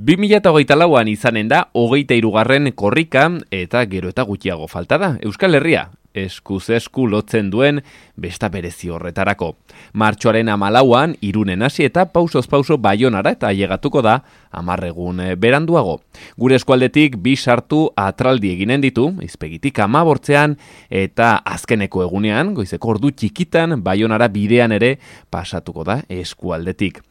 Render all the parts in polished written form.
2024an izanen da 23. korrika eta gero eta gutxiago falta da. Euskal Herria eskuz esku lotzen duen besta berezi horretarako. Martxoaren 14an Irunen hasi eta pausoz pauso Baionara eta ailegatuko da 10 egun beranduago. Gure eskualdetik 2 sartu atraldi eginen ditu, izpegitik 15 eta azkeneko egunean, goizeko ordu txikitan Baionara bidean ere pasatuko da eskualdetik.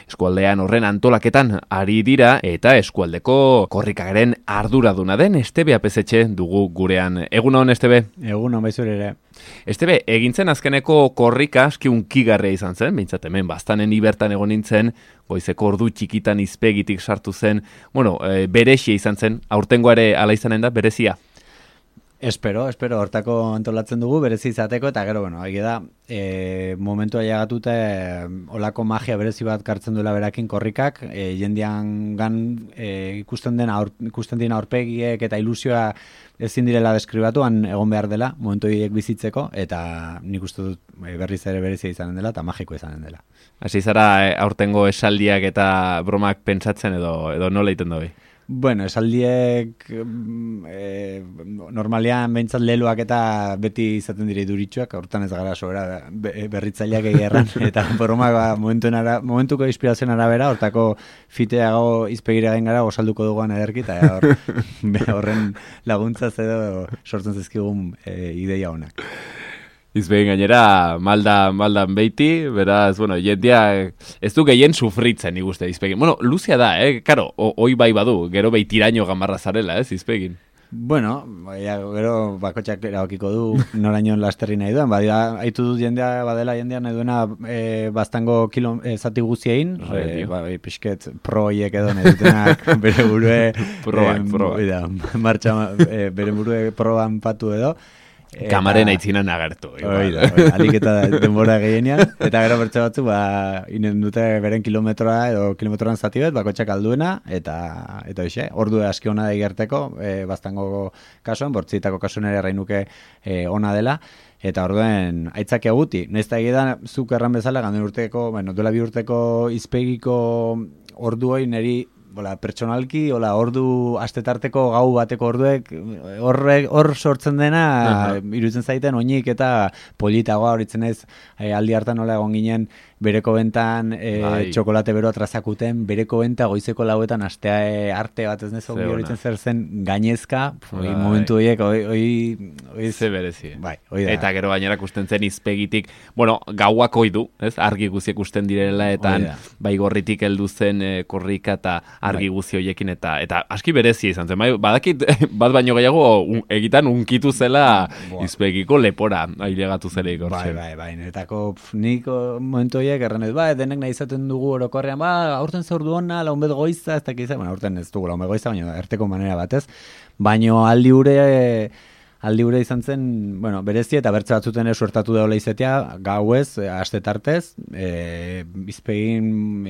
Eskualdean horren antolaketan ari dira eta eskualdeko korrikaren arduraduna den Estebe Apezetxe dugu gurean. Egunon, Estebe? Egunon, baizure ere. Estebe, egintzen azkeneko korrika aski unkigarria izan zen, behintzat hemen bastanen ibertan egon nintzen, goizeko ordu txikitan izpegitik sartu zen, berexia izan zen, aurtengoa ere ala izanen da, berezia? Espero, hortako antolatzen dugu, berezi izateko, eta gero, egia da, momentua llegatuta olako magia berezi bat kartzen duela berakin korrikak, jendean gan ikusten dien aurpegiek eta ilusioa ezin direla deskribatuan egon behar dela, momentu horiek bizitzeko, eta nik uste dut berriz ere berezia izanen dela, eta magiko izanen dela. Hasi zara aurtengo esaldiak eta bromak pentsatzen edo nola egiten dobi? Bueno, esaldiek normalean behintzat leloak eta beti izaten dire duritxuak, hortan ez gara sobera berritzaileak egerran, eta bromak momentuko inspirazioen arabera, hortako fiteago izpegiragen gara osalduko duguan ederki, eta horren laguntzaz edo sortzen zezkigun ideia honak. Izbegin gainera, maldan beiti, beraz, jendia ez du gehien sufritzen iguste izpegin. Luzia da, karo, hoi bai badu, gero beitiraino gamarra zarela, izpegin. Gero bakotxak erabakiko du noraino lasterri nahi duen, haitu dut badela jendea nahi duena bastango zati guziein, pixket proiek edo nahi dutenak bere burue bere burue proban patu edo, Kamaren aitzinan agertu. Alik eta denbora gehienean, eta gero bertze batzu, inen dute beren kilometroa edo kilometroan zati bet, bakotxak alduena, eta hoxe, ordu aski ona da igerteko, bastango kasuan, bortzitako kasuan ere errainuke ona dela, eta orduen aitzak eguti. Nesta egidan, zuk erran bezala, ganden urteko, duela 2 urteko izpegiko ordu hori neri pertsonalki, ordu astetarteko gau bateko orduek, hor sortzen dena, iruditzen zaiten oinik eta politagoa horitzen ez, aldi hartan nola egon ginen, bereko bentan txokolate beroa trazakuten, bereko benta goizeko lauetan astea arte bat ez nezo horitzen zer zen gainezka, momentu horiek, ze berezi. Eta gero gainera kusten zen izpegitik, gauak oidu, argi guziek kusten direla, eta bai gorritik heldu zen korrika eta argi guzi horiekin, eta aski berezia izan zen. Badakit, bat baino gehiago egitan unkitu zela izpegiko lepora, ailegatu zereik. Netako niko momentu horiek erran ez, denek nahi izaten dugu orokorrean, aurten zaurdu hona, launbet goiza, ez dakiz, aurten ez dugu launbet goiza, baina erteko manera batez, baina aldi ure izan zen, berezi eta bertze batzuten suertatu daula izatea, gauez, astetartez, bizpegin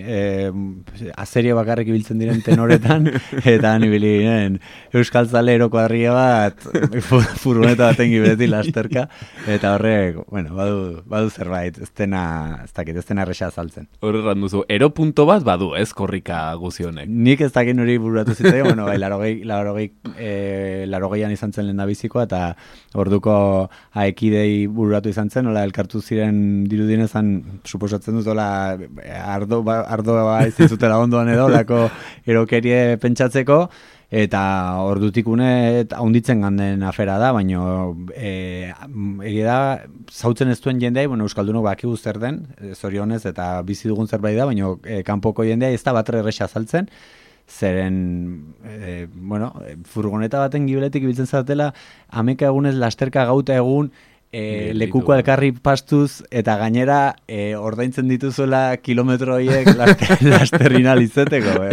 azerio bakarrik ibiltzen diren tenoretan, eta nibili ginen Euskal Zale eroko harria bat, furgoneta baten gibeti lasterka, eta horrek, badu zerbait, ez dena erresa azaltzen. Horreran duzu, eropunto bat badu, ez korrika guzionek? Nik ez dakit nori bururatu zitzaion, larogeian izan zen lehen da bizikoa, eta orduko aekidei bururatu izan zen, elkartu ziren dirudinezan, suposatzen dut, ardoa izizutela ondoan edo, lako erokerie pentsatzeko, eta ordutik haunditzen ganden afera da, baina egia da, zautzen ez duen jendea, Euskaldunok bakigu zer den, zorionez, eta bizi dugun zerbait da, baina kanpoko jendea ez da batre erresa azaltzen, zeren, furgoneta baten gibeletik ibiltzen zatela, ameka egunez lasterka gauta egun, lekuko elkarri pastuz, eta gainera ordaintzen dituzuela kilometro horiek lasterrina lizeteko.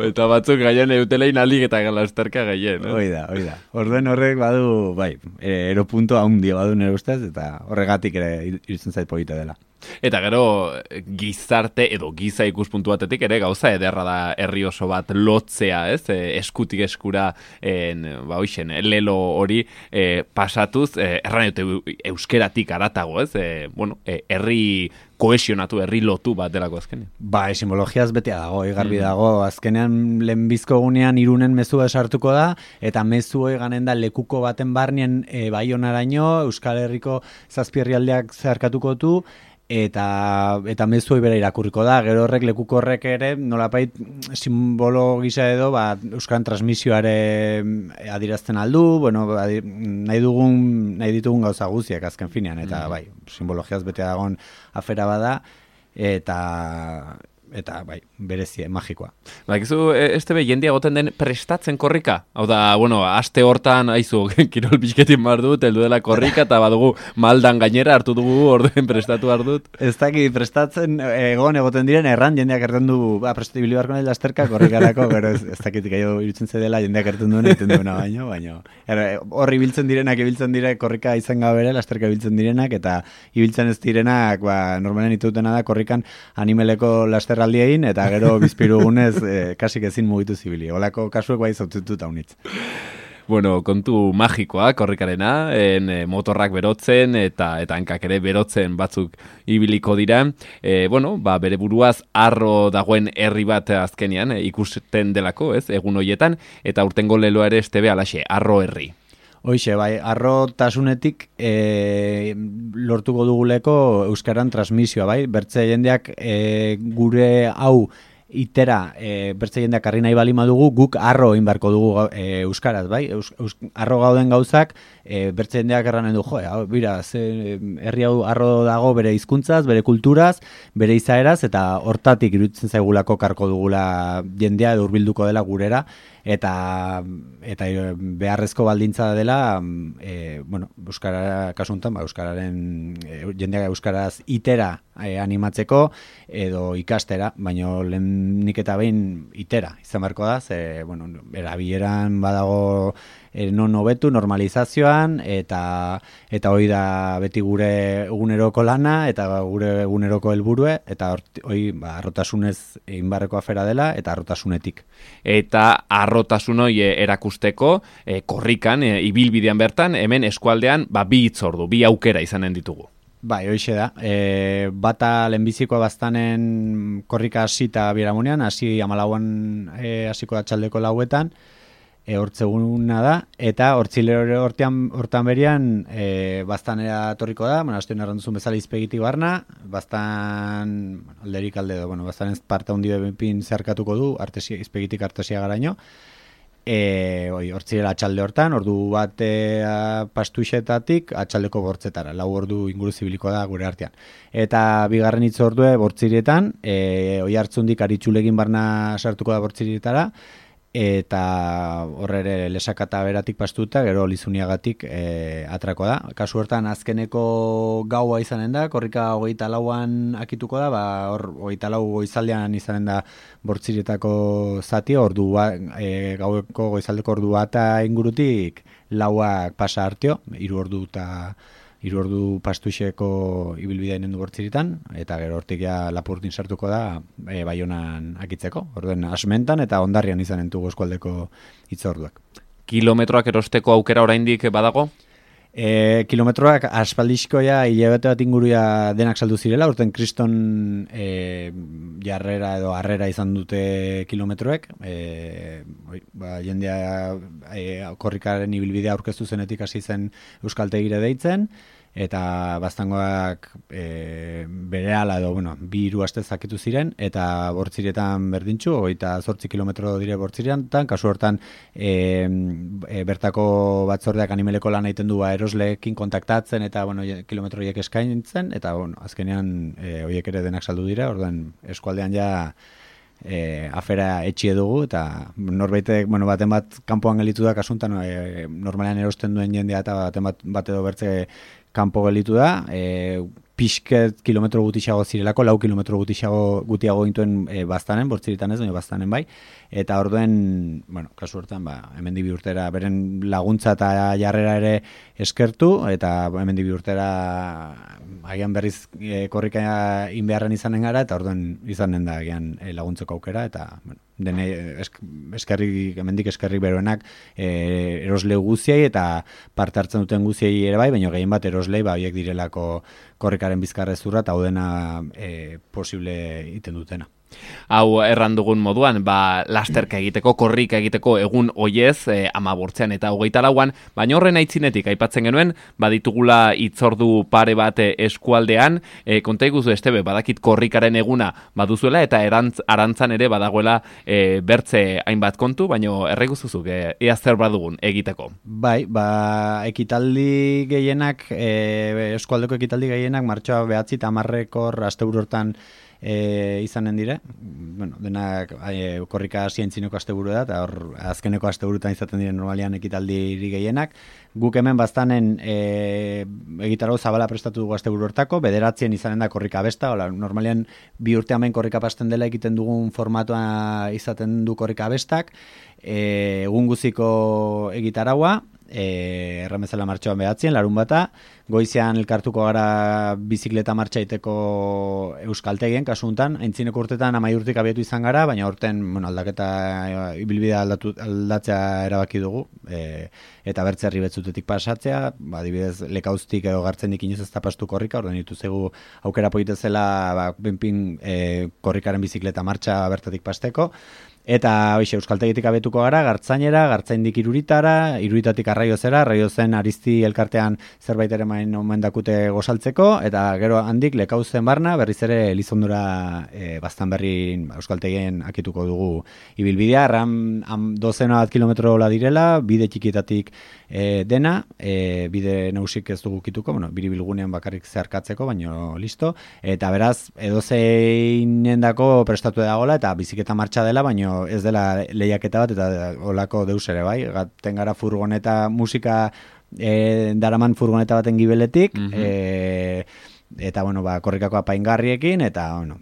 Eta batzuk gaien eutelein alik eta lasterka gaien. Oida. Orduen horrek badu, eropunto haundia badu nire ustez, eta horregatik ere irutzen zait polita dela. Eta gero gizarte edo giza ikuspuntu batetik ere gauza ederra da herri oso bat lotzea, ez? Eskutik eskura lelo hori pasatuz, erran dute euskeratik aratago, ez? Herri kohesionatu, herri lotu bat delako azkenean. Simbologiaz betea dago, garbi dago. Azkenean lehenbizko egunean Irunen mezua esartuko da, eta mezu hori ganen da lekuko baten barnien Baionaraino, Euskal Herriko zazpi herrialdeak zeharkatuko du, eta mezu hori bera irakurriko da. Gero horrek, lekuko horrek ere, nolapait simbolo gisa edo, Euskaran transmisioare adirazten aldu, nahi ditugun gauza guztiak azken finean, eta simbologiaz bete dagoen afera bada, eta berezie, magikoa. Bakizu, Estebe, jendea goten den prestatzen korrika? Hau da, aste hortan, aizu, kirol bizketin bar dut, heldu dela korrika, eta badugu maldan gainera hartu dugu, orduen prestatu ardut. Ez daki, prestatzen egoten diren, erran jendeak erten du, prestatu bilibarko nahi lasterka korrikarako, gero ez dakit gaio irutzen zedela, jendeak erten duen, egiten duena baino. Horri ibiltzen dire, korrika izan gabere, lasterka ibiltzen direnak, eta ibiltzen ez direnak, normalen itutena da, korrikan animeleko lasterraldiein, eta gero bizpirugunez kasik ezin mugitu zibili. Olako kasuek zautututa unitz. Kontu magikoa, korrikarena, motorrak berotzen eta hankak ere berotzen batzuk ibiliko dira. Bere buruaz arro dagoen herri bat azkenean ikusten delako, ez, egun hoietan, eta urtengo leloa ere Estebe alaxe, arro herri. Hoixe, arro tasunetik lortuko duguleko euskaran transmisioa, bertze jendeak gure hau itera bertze jendeak harri nahi bali madugu, guk arro egin beharko dugu euskaraz, arro gauden gauzak, bertze jendeak erranen du, herri hau arro dago bere hizkuntzaz, bere kulturaz, bere izaeraz, eta hortatik iruditzen zaigulako karko dugula jendea edo hurbilduko dela gurera, eta beharrezko baldintza dela, euskara kasuntan, jendeak euskaraz itera animatzeko edo ikastera, eta nik eta behin itera izan beharko da, erabileran badago non hobetu normalizazioan, eta hori da beti gure eguneroko lana, eta gure eguneroko helburue, eta hori arrotasunez egin beharreko afera dela, eta arrotasunetik. Eta arrotasun hori erakusteko, korrikan, ibilbidean bertan, hemen eskualdean, bi hitzordu, bi aukera izanen ditugu. Hoixe da. Bata lehenbizikoa baztanen korrika hasita biharamunean, hasi 14an hasiko da txaldeko 4etan, hortzeguna da, eta hortan berian baztanera torriko da, azten erran duzun bezala izpegitik barna, baztan alderik alde edo, baztanen parte handi bepin zeharkatuko du, izpegitik artesia garaino, hortzirela atxalde hortan, ordu bat pastuixetatik atxaldeko bortzetara, 4 ordu inguru zibiliko da gure artean. Eta bigarren hitz ordue bortzirietan, oi hartzundik aritxulegin barna sartuko da bortzirietara, eta horre lesakata beratik pastuta, gero Lizuniagatik atrako da. Kasu hortan azkeneko gaua izanen da, korrika 24an akituko da, hor 24 goizaldean izanen da bortzirietako zati, gaueko goizaldeko ordu bata ingurutik 4ak pasa hartio, 3 ordu pastuixeko ibilbidea inen du bortziritan, eta gero hortik Lapurtin sartuko da Baionan akitzeko. Orduen Asmentan eta Hondarrian izanen dugu eskualdeko hitzorduak. Kilometroak erosteko aukera oraindik badago? Kilometroak aspaldizkoa hilabete bat inguruia denak saldu zirela, urten kriston jarrera edo harrera izan dute kilometroek, jendea korrikaren ibilbidea aurkeztu zenetik hasi zen euskaltegire deitzen, eta baztangoak berehala edo, 2-3 aste zakitu ziren, eta bortzirietan berdintxu, 28 kilometro dire bortzirietan, kasu hortan bertako batzordeak animeleko lan egiten du erosleekin kontaktatzen, eta kilometro horiek eskaintzen, eta azkenean horiek ere denak saldu dira, orduan eskualdean afera etxie dugu, eta norbaitek, baten bat kanpoan gelitu da kasuntan, normalean erosten duen jendea, eta baten bat edo bertze kanpo gelitu da, pixket kilometro gutixago zirelako, 4 kilometro gutiago gintuen baztanen, bortziritan ez, baina baztanen bai, eta orduen, bueno, kasu hortan, hemendik bi urtera, beren laguntza eta jarrera ere eskertu, eta hemendik bi urtera agian berriz korrika inbeharren izanen gara, eta orduen izanen da agian laguntzeko aukera, eta, bueno, dene hemendik eskerrik beroenak erosle guziei eta parte hartzen duten guziei ere bai, baina gehien bat eroslei horiek direlako korrikaren bizkarrezurra eta hau dena posible iten dutena. Hau erran dugun moduan, lasterka egiteko, korrika egiteko egun oiez, 15 eta 24an, baina horren aitzinetik aipatzen genuen, baditugula hitzordu pare bat eskualdean, konta iguzu Estebe, badakit korrikaren eguna baduzuela eta arantzan ere badagoela bertze hainbat kontu, baina erreguzuzuk ea zer badugun egiteko. Bai, ekitaldi gehienak, eskualdeko ekitaldi gehienak, martxoa 9 eta 10 asteburu hortan izanen dire, bueno, denak korrika zientzineko asteburu da, eta hor azkeneko asteburutan izaten diren normalian ekitaldiri gehienak. Guk hemen baztanen egitarau zabala prestatu dugu asteburu hortako, 9 izanen da korrika besta, normalian 2 urte hemen korrika pasten dela egiten dugun formatua izaten du korrika bestak, egun guziko egitaraua, erramezala martxoan 9, larun bata, goizean elkartuko gara bizikleta martxa iteko euskaltegien, kasu honetan, aintzineko urtetan 10 urtik abiatu izan gara, baina horten aldaketa ibilbidea aldatzea erabaki dugu, eta bertzerri betzutetik pasatzea, adibidez lekauztik edo gartzenik inoz ez tapastu korrika, orden dituzegu aukera poitezela benpin korrikaren bizikleta martxa bertatik pasteko, eta hoxe euskaltegitik abetuko gara, gartzainera, gartzaindik iruritara, iruritatik arraiozera, arraiozen Aristi elkartean zerbait ere omen dakute gozaltzeko, eta gero handik lekauzen barna, berriz ere Elizondura baztan berri euskaltegien akituko dugu ibilbidea, 12 bat kilometro direla, bide txikietatik dena, bide nausik ez dugu kituko, bueno, biribilgunean bakarrik zeharkatzeko, baino listo, eta beraz, edozeinen dako prestatu dagoela, eta biziketa martxa dela, baino ez dela lehiaketa bat, eta olako deus ere bai, gaten gara furgoneta musika daraman furgoneta baten gibeletik, eta bueno, korrikako apaingarriekin, eta bueno,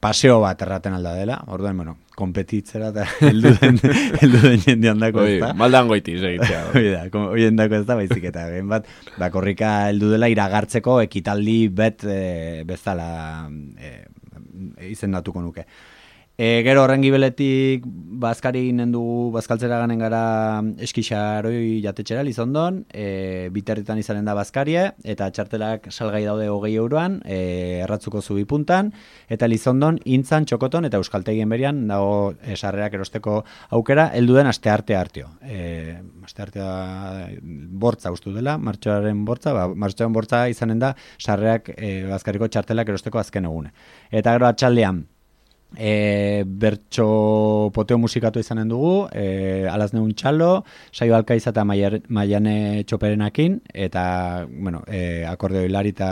paseo bat erraten alda dela, orduan, bueno, kompetitzera eta heldu den jendean dako ez da. Maldan goitiz egitea. Oien dako ez da, baizik eta gen bat, korrika heldu dela iragartzeko ekitaldi bezala izendatuko nuke. Gero horren gibeletik bazkari ginen dugu, bazkaltzera ganen gara eskixaroi jatetxera Lizondon, biterritan izanen da bazkarie, eta txartelak salgai daude 20 euroan, erratzuko zubipuntan, eta Lizondon, Intzan, Txokoton, eta Euskaltegien berian, dago sarrerak erosteko aukera, helduden astearte hartio. Asteartea bortza ustu dela, martxoaren bortza, martxoaren bortza izanen da sarreak bazkariko txartelak erosteko azken egune. Eta gero atxaldean, bertso poteo musikatu izanen dugu, Alazneun txalo, Saio Alkaiza eta Maiane Txoperenakin, eta bueno, akordeo hilari eta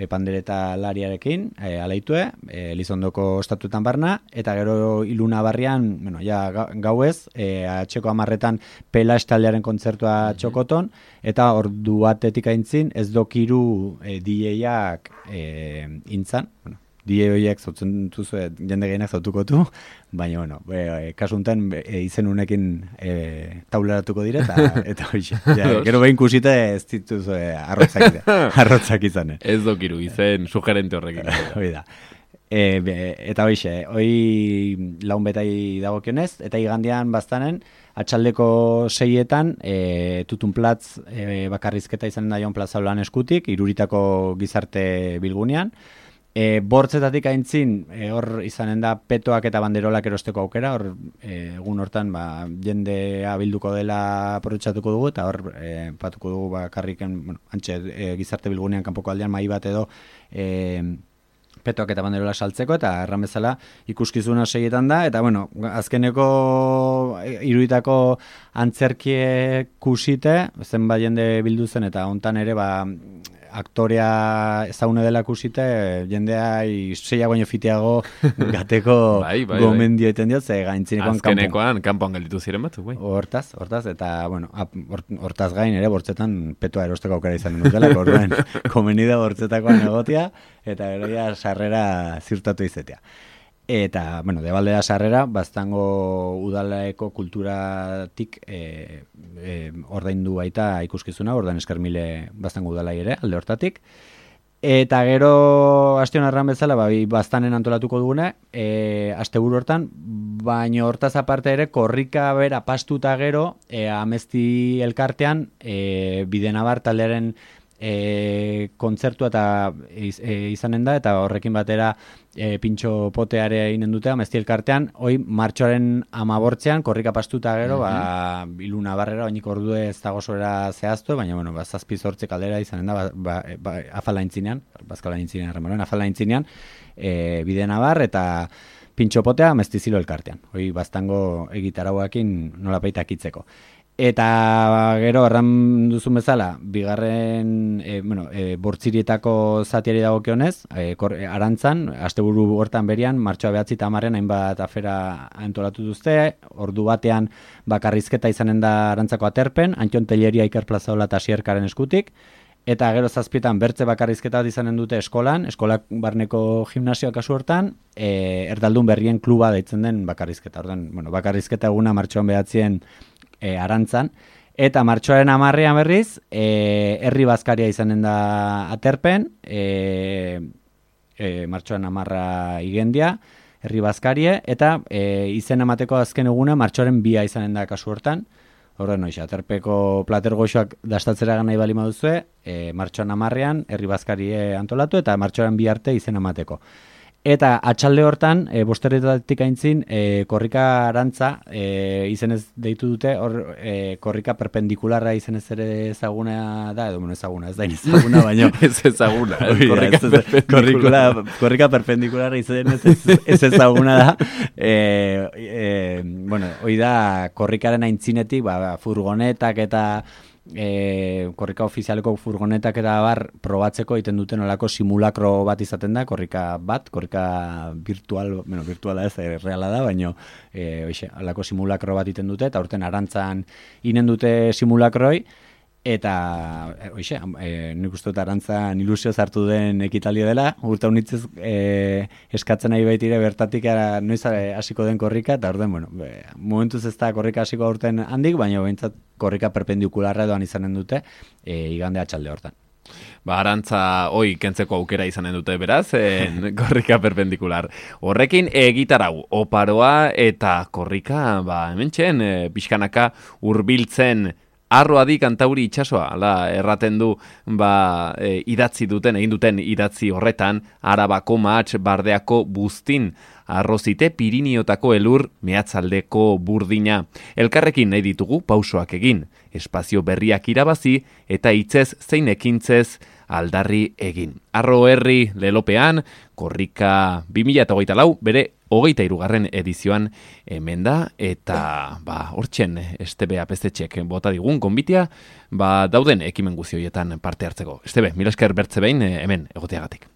pandereta lariarekin, alaitue, Elizondoko estatuetan barna, eta gero Iluna barrian, bueno, ja gauez, atxeko 10etan Pela estaldearen kontzertua Txokoton, eta ordu batetik aintzin ez dokiru DJ-ak Intzan, bueno, DJ horiek zautzen duzu, jende gehienak zautuko du, baina, bueno, kasuntan izen unekin taularatuko dire, eta hoxe. Gero behin kusite ez dituzu arrotzak izanen. Ez dokiru, izen sugerente horrekin. Hoi da. Eta hoxe, hoi laun betai dagokionez, eta igandian baztanen, atxaldeko 6etan, tutunplatz bakarrizketa izanen da joan plaza eskutik, iruritako gizarte bilgunean, bortzetatik aintzin, hor izanen da petoak eta banderolak erosteko aukera, hor egun hortan jendea bilduko dela aprobetxatuko dugu, eta hor patuko dugu bakarriken, bueno, antxe gizarte bilgunean kanpoko aldean mai bat edo petoak eta banderola saltzeko, eta erran bezala ikuskizuna 6etan da, eta bueno, azkeneko iruritako antzerkiek kusite, zenbat jende bildu zen, eta hontan ere, aktorea ezagune dela kusite, jendea zeia baino fiteago gateko gomendio eten diot, ze gaintzinekoan kanpoan gelditu ziren batzuk, bai. Hortaz, eta, bueno, hortaz gain ere bortzetan petoa erosteko aukera izan dutela, orduan komenida bortzetakoan egotia, eta eroia sarrera ziurtatu izetea. Eta, bueno, debaldea sarrera, Baztango udalaeko kulturatik ordaindu baita ikuskizuna, ordan eskermile Baztango udalai ere, alde hortatik. Eta gero, astion arran bezala, Baztanen antolatuko dugune, asteburu hortan, baina hortaz aparte ere, korrika bera pastuta gero, Amezti elkartean, Bidenabar taldearen kontzertua eta izanen da, eta horrekin batera pintxo poteare inen dute Amezti elkartean, hoi martxoaren 15ean korrika pastuta gero, Iluna Barrera, oinik ordue ez dago zorera zehaztu, baina, bueno, 7-8 kaldera izanen da, afala intzinean, bazkala intzinean, remoren, afala intzinean, Bidenabar eta pintxo potea Amezti Zilo elkartean, hoi Baztango egitarauakin nolapait akitzeko. Eta gero, erran duzun bezala, bigarren, bortzirietako zatiari dagokionez, Arantzan, asteburu hortan berian, martxoa 9 eta 10 hainbat afera antolatu duzte, ordu batean bakarrizketa izanen da Arantzako aterpen, Antion Telleria Iker Plazaola eta Sierkaren eskutik, eta gero 7 bertze bakarrizketa bat izanen dute eskolak barneko gimnasioa kasu hortan, Erdaldun Berrien kluba deitzen den bakarrizketa. Ordan, bueno, bakarrizketa eguna martxoan 9 Arantzan, eta martxoaren 10ean berriz, herri bazkaria izanen da aterpen, martxoaren 10 igendia, herri bazkarie, eta izen emateko azken eguna martxoaren 2 izanen da kasu hortan. Horren noiz, aterpeko plater goxoak dastatzera nahi bali maduzue, martxoan 10ean herri bazkarie antolatu, eta martxoaren 2 arte izen emateko. Eta atxalde hortan, bosterretatik aintzin, korrika Arantza izenez deitu dute, korrika perpendikularra izenez ere ezaguna da, edo ezaguna, ez da ezaguna, baina... ez ezaguna, korrika perpendikularra izenez ez ezaguna da. Hoi da, korrikaren aintzinetik, furgonetak eta... korrika ofizialeko furgonetak eta probatzeko egiten duten olako simulakro bat izaten da, korrika virtuala ez, reala da, baina olako simulakro bat egiten dute, eta urten Arantzan inen dute simulakroi, eta nik uste dut Arantzan ilusio hartu den ekitaldia dela, urte honitzez eskatzen nahi baitire bertatik noiz hasiko den korrika, eta orden, momentuz ez da korrika hasiko urten handik, baina behintzat korrika perpendikularra doan izanen dute igande atxalde hortan. Arantza kentzeko aukera izanen dute beraz, korrika perpendikular. Horrekin egitarau, oparoa eta korrika, hementxen, pixkanaka hurbiltzen Arroadi Kantauri itsasoa, erraten du idatzi duten, egin duten idatzi horretan, Arabako Mahats Bardeako Buztin, Arrozite Piriniotako elur mehatzaldeko burdina. Elkarrekin nahi ditugu pausoak egin, espazio berriak irabazi eta hitzez zein ekintzez aldarri egin. Arro herri lelopean, korrika 2024 bere 23. edizioan hemen da, eta hortzen Estebe Apezetxek bota digun gonbitea, dauden ekimen guzti horietan parte hartzeko. Estebe, mila esker bertze behin hemen egoteagatik.